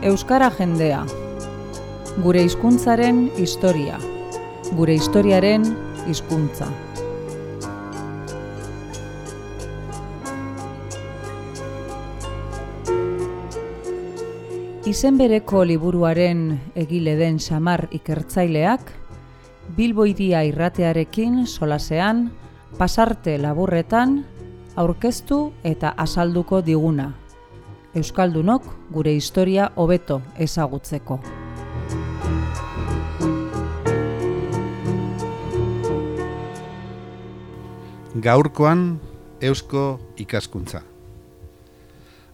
Euskara jendea. Gure hizkuntzaren historia. Gure historiaren hizkuntza. Izen bereko liburuaren egile den Xamar ikertzaileak, Bilbo Hiria irratearekin solasean, pasarte laburretan, aurkeztu eta azalduko diguna. Euskaldunok gure historia hobeto ezagutzeko. Gaurkoan eusko ikaskuntza.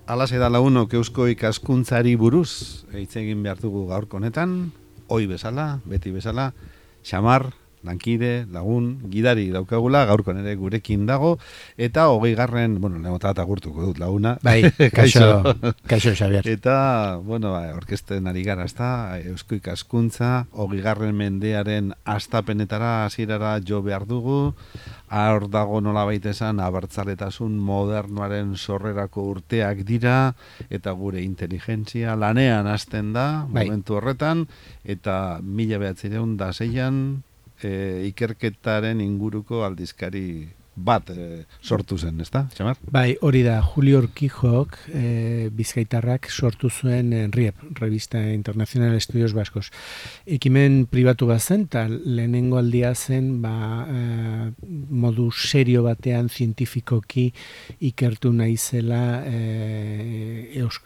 Halaxe da lagunok eusko ikaskuntzari buruz hitz egin behar dugu gaurko honetan, ohi bezala, beti bezala, Xamar, lankide, lagun, gidari daukagula, gaurkoan ere gurekin dago, eta 20. Lehenotata agurtuko dut laguna. Bai, kaixo Xabier. Eta, orkesten ari gara, eusko ikaskuntza, 20. mendearen hastapenetara hasierara jo behar dugu, hor dago nolabait esan abertzaletasun modernoaren sorrerako urteak dira, eta gure inteligentzia lanean hasten da, momentu horretan, eta 1906an, ikerketaren inguruko aldizkari bat sortu zen, ezta, Xamar? Bai, hori da, Julio Urquijok bizkaitarrak sortu zuen RIEP, Revista Internacional de Estudios Vascos. Ekimen pribatu bat zen, eta lehenengo aldia zen modu serio batean zientifikoki ikertu nahi zela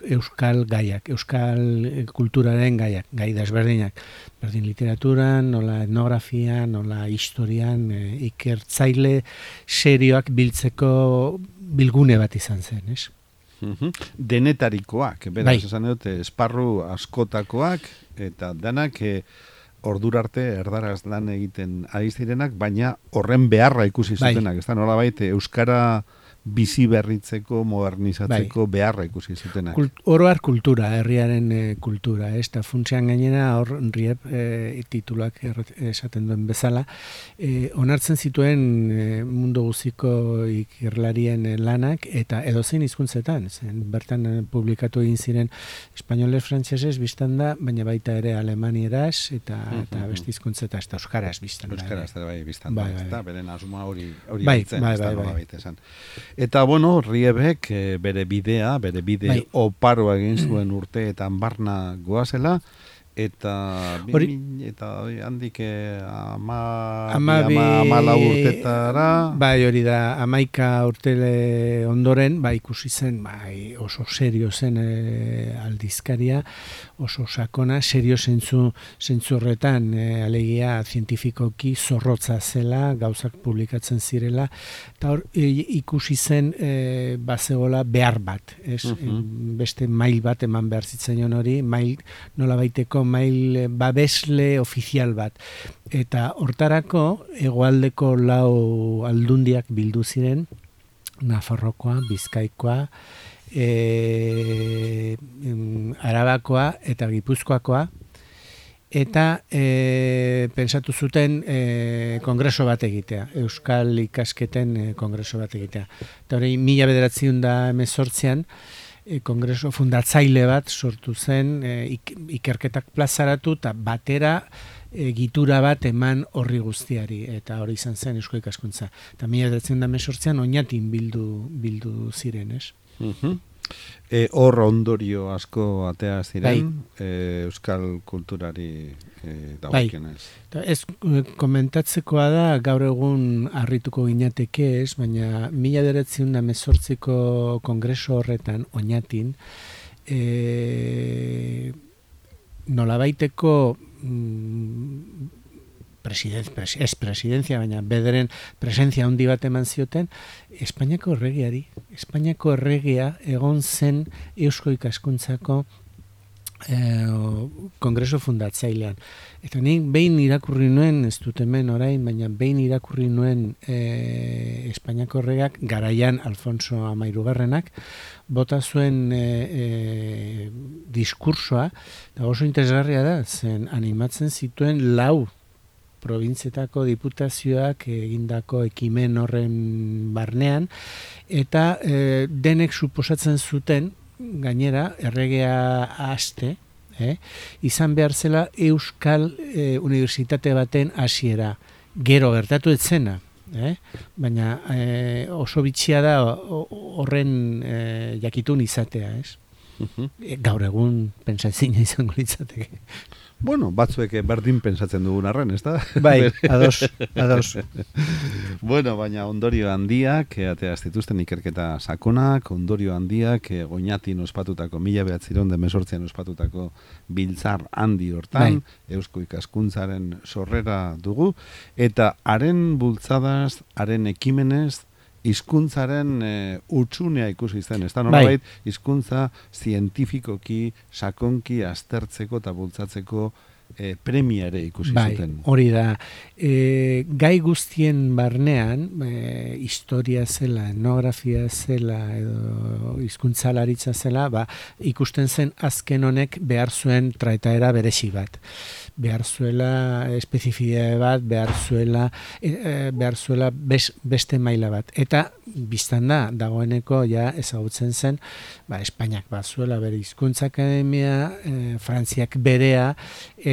euskal gaiak, euskal kulturaren gaiak, gai desberdinak. Berdin literaturan, nola etnografia, nola historian, ikertzaile serioak biltzeko bilgune bat izan zen, ez? Denetarikoak, beraz, esan dut, esparru askotakoak, eta danak ordura arte erdaraz lan egiten ari zirenak, baina horren beharra ikusi zutenak, ez da, nolabait, euskara bizi berritzeko, modernizatzeko beharra ikusi zutenak. Oroar kultura, herriaren kultura, ez da funtsean gainera hor RIEP tituluak esaten duen bezala, onartzen zituen mundu guziko ikerlarien lanak, eta edozein hizkuntzetan, bertan publikatu egin ziren espainoles, frantseses biztan da, baina baita ere alemanieraz, eta beste hizkuntzetan, eta euskaraz biztan da. Euskaraz, biztan da, eta beren asuma hori baitzen, ez da nolabait esan. Eta, Riebek bere bide oparoa egin zuen urteetan barna goazela, eta handik 14 urtetara... Bai, hori da, 11 urtele ondoren, ikusi zen, oso serio zen aldizkaria, oso sakona, serio zentzu horretan, alegia zientifikoki zorrotza zela, gauzak publikatzen zirela, eta hor ikusi zen bazegola behar bat, beste mail bat eman behar zitzaion hori, nola baiteko mail babesle ofizial bat. Eta hortarako hegoaldeko 4 aldundiak bildu ziren, Nafarrokoa, Bizkaikoa, Arabakoa eta Gipuzkoakoa, eta pentsatu zuten kongreso bat egitea, Euskal ikasketen kongreso bat egitea. Eta hori 1918an kongreso fundatzaile bat sortu zen, ikerketak plazaratu eta batera egitura bat eman horri guztiari, eta hori izan zen eusko ikaskuntza. Eta 1918an Oñatin bildu ziren, ez? Hor ondorio asko atea ziren, euskal kulturari dagokionez. Ez komentatzekoa da, gaur egun harrituko ginateke ez, baina 1918ko kongreso horretan, Oñatin, nolabaiteko presidentzia, baina bederen presentzia handi bat eman zioten, Espainiako erregeari. Espainiako erregea egon zen eusko ikaskuntzako kongreso fundatzailean. Eta nik behin irakurri nuen, ez dut hemen orain, baina behin irakurri nuen Espainiako erregeak, garaian Alfonso XIII, bota zuen diskursoa, eta oso interesgarria da, zen animatzen zituen 4 probintzietako diputazioak egindako ekimen horren barnean, eta denek suposatzen zuten, gainera, erregea haste, izan behar zela Euskal Unibertsitate baten hasiera. Gero gertatu ez zena, baina oso bitxia da horren jakitun izatea, ez? Gaur egun pensatzina izango litzateke. Bueno, batzuek berdin pensatzen dugun arren, ez da? Bai, ados. Bueno, baina ondorio handiak, atea zituzten ikerketa sakonak, ondorio handiak, Goñatin ospatutako, 1918an ospatutako biltzar handi hortan, Eusko ikaskuntzaren sorrera dugu, eta haren bultzadaz, haren ekimenez, hizkuntzaren utxunea ikusi zen, ez da nolabait hizkuntza zientifikoki, sakonki aztertzeko eta bultzatzeko premia ere ikusi zuten. Hori da. Gai guztien barnean, historia zela, etnografia zela, edo hizkuntzalaritza zela, ikusten zen azken honek behar zuen traetaera beresi bat. Behar zuela espezifidade bat, behar zuela beste maila bat. Eta biztan da, dagoeneko ja ezagutzen zen, Espainiak bazuela bere hizkuntza akademia, Frantziak berea,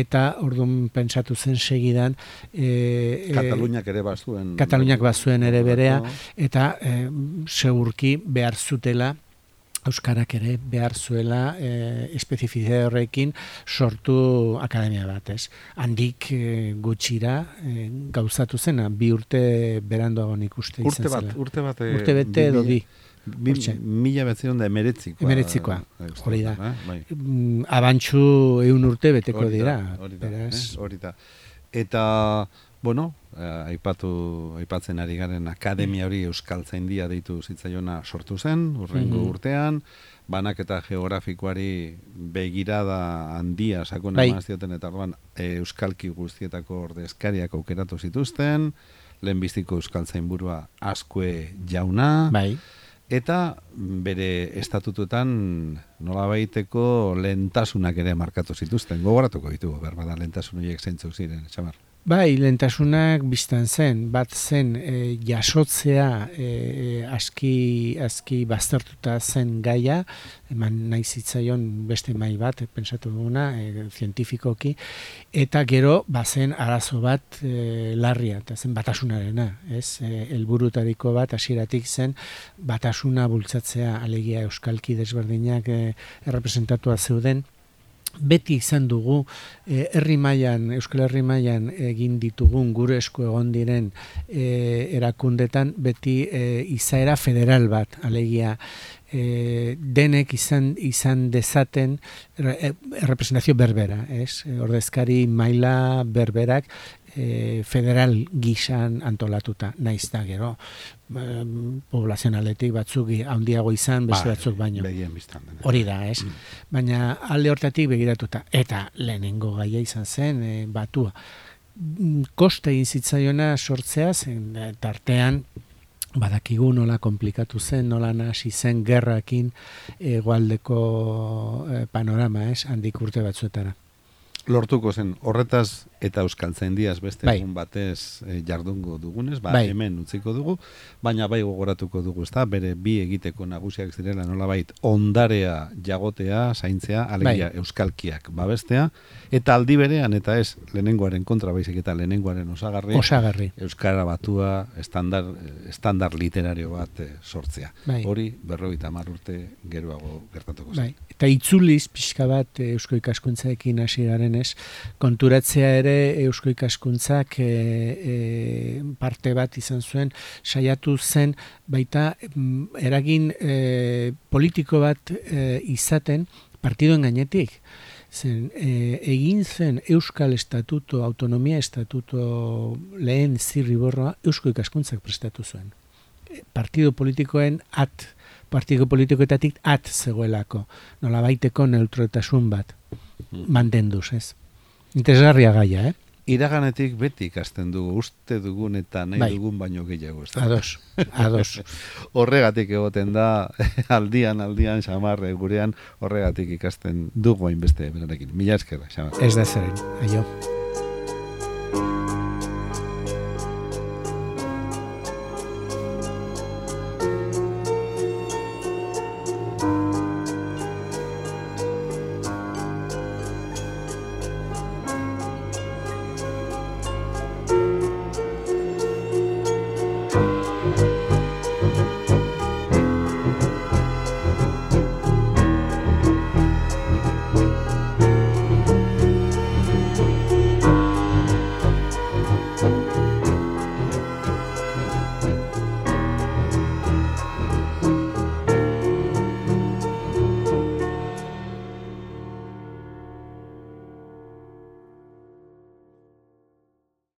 eta orduan pentsatu zen segidan Kataluniak ere bazuen. Kataluniak bazuen ere berea, eta segurki behar zutela Euskarak ere behar zuela espezifidade horrekin sortu akademia bat, ez? Handik gutxira gauzatu zena, 2 urte beranduago nik uste izan zela. Urte bete edo bi. 1919. Emeretzikoa, hori da. Abantxu 100 urte beteko dira. Hori da. Eta, bueno, aipatzen ari garen akademia hori Euskaltzaindia deitu zitzaiona sortu zen, urrengo urtean, banaketa geografikoari begirada handia sakona eman zioten, eta orduan euskalki guztietako ordezkariak aukeratu zituzten, lehenbiztiko Euskaltzainburua Azkue jauna, eta bere estatutuetan nolabaiteko lehentasunak ere markatu zituzten. Gogoratuko ditugu, berbada lehentasun horiek zeintzuk ziren, Xamar. Lehentasunak biztan zen, bat zen jasotzea aski baztertuta zen gaia, eman nahi zitzaion beste mai bat, pentsatu duguna, zientifikoki, eta gero bazen arazo bat larria, eta zen batasunarena, helburutariko bat hasieratik zen batasuna bultzatzea, alegia euskalki desberdinak errepresentatua zeuden. Beti izan dugu Euskal Herri mailan egin ditugun gure esku egon diren erakundetan beti izaera federal bat, alegia denek izan dezaten representazio berbera, ordezkari maila berberak federal gisan antolatuta, naiz da gero poblazionaletik batzuk handiago izan, beste batzuk baino. Hori da, baina alde hortatik begiratuta. Eta lehenengo gaia izan zen, batua. Koste egin zitzaiona sortzea, zen tartean badakigu nola komplikatu zen, nola nahasi zen gerrakin hegoaldeko panorama, handik urte batzuetara. Lortuko zen, horretaz eta Euskaltzaindiaz beste egun batez jardungo dugunez, hemen utziko dugu, baina gogoratuko dugu, ezta, bere bi egiteko nagusiak zirela nolabait ondarea jagotea, zaintzea, alegia euskalkiak babestea, eta aldi berean, eta ez lehenengoaren kontra baizik eta lehenengoaren osagarri, euskara batua, estandar literario bat sortzea. Hori 50 urte geroago gertatuko zen. Eta itzuliz pixka bat eusko ikaskuntzaekin hasi garen, konturatzea ere eusko ikaskuntzak parte bat izan zuen, saiatu zen baita eragin politiko bat izaten partiduen gainetik. Egin zen Euskal Estatuto, Autonomia Estatuto lehen zirriborroa eusko ikaskuntzak prestatu zuen. Partido politikoetatik zegoelako, nolabaiteko neutraltasun bat mantenduz, ez? Interesgarria gaia, Iraganetik beti ikasten dugu, uste dugun eta nahi dugun baino gehiago. Ados. Horregatik egoten da, aldian, Xamar, gurean, horregatik ikasten dugu hainbeste berarekin. Mila esker, Xamar. Ez da zeren, aio.